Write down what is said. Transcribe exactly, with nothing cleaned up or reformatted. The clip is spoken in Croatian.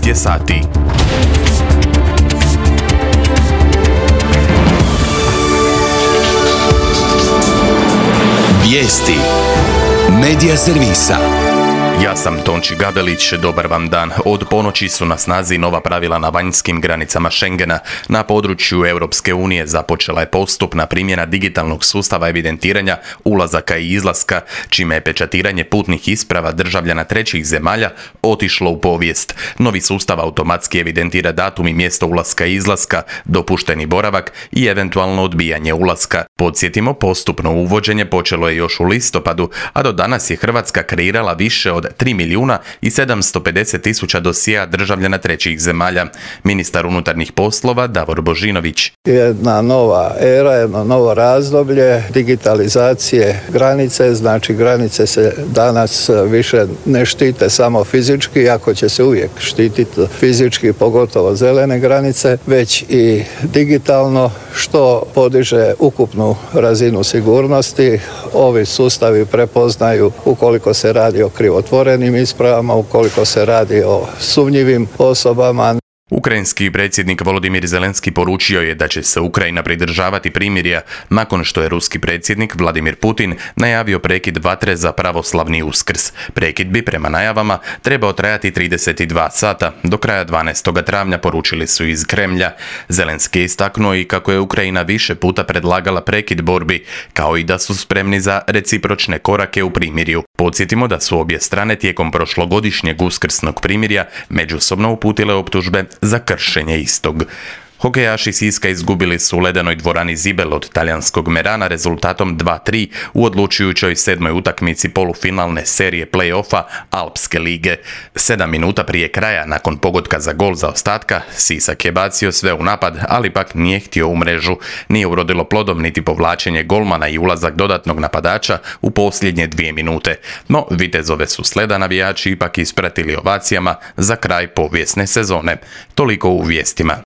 je sati. Vijesti Medija servisa. Ja sam Tonči Gabelić, dobar vam dan. Od ponoći su na snazi nova pravila na vanjskim granicama Schengena. Na području Europske unije započela je postupna primjena digitalnog sustava evidentiranja ulazaka i izlaska, čime je pečatiranje putnih isprava državljana trećih zemalja otišlo u povijest. Novi sustav automatski evidentira datum i mjesto ulaska i izlaska, dopušteni boravak i eventualno odbijanje ulaska. Podsjetimo, postupno uvođenje počelo je još u listopadu, a do danas je Hrvatska kreirala više od tri milijuna i sedamsto pedeset tisuća dosjea državljana trećih zemalja. Ministar unutarnjih poslova Davor Božinović. Jedna nova era, jedno novo razdoblje digitalizacije granice, znači granice se danas više ne štite samo fizički, iako će se uvijek štititi fizički, pogotovo zelene granice, već i digitalno, što podiže ukupnu razinu sigurnosti. Ovi sustavi prepoznaju ukoliko se radi o krivotvorenim ispravama, ukoliko se radi o sumnjivim osobama. Ukrajinski predsjednik Volodimir Zelenski poručio je da će se Ukrajina pridržavati primirja nakon što je ruski predsjednik Vladimir Putin najavio prekid vatre za pravoslavni Uskrs. Prekid bi prema najavama trebao trajati trideset dva sata do kraja dvanaestog travnja, poručili su iz Kremlja. Zelenski je istaknuo i kako je Ukrajina više puta predlagala prekid borbi, kao i da su spremni za recipročne korake u primirju. Podsjetimo da su obje strane tijekom prošlogodišnjeg uskrsnog primirja međusobno uputile optužbe za kršenje istog. Hokejaši Siska izgubili su u ledenoj dvorani Zibel od talijanskog Merana rezultatom dva tri u odlučujućoj sedmoj utakmici polufinalne serije play-offa Alpske lige. Sedam minuta prije kraja, nakon pogotka za gol zaostatka, Sisak je bacio sve u napad, ali pak nije htio u mrežu. Nije urodilo plodom niti povlačenje golmana i ulazak dodatnog napadača u posljednje dvije minute. No, vitezove su sleda navijači ipak ispratili ovacijama za kraj povijesne sezone. Toliko u vijestima.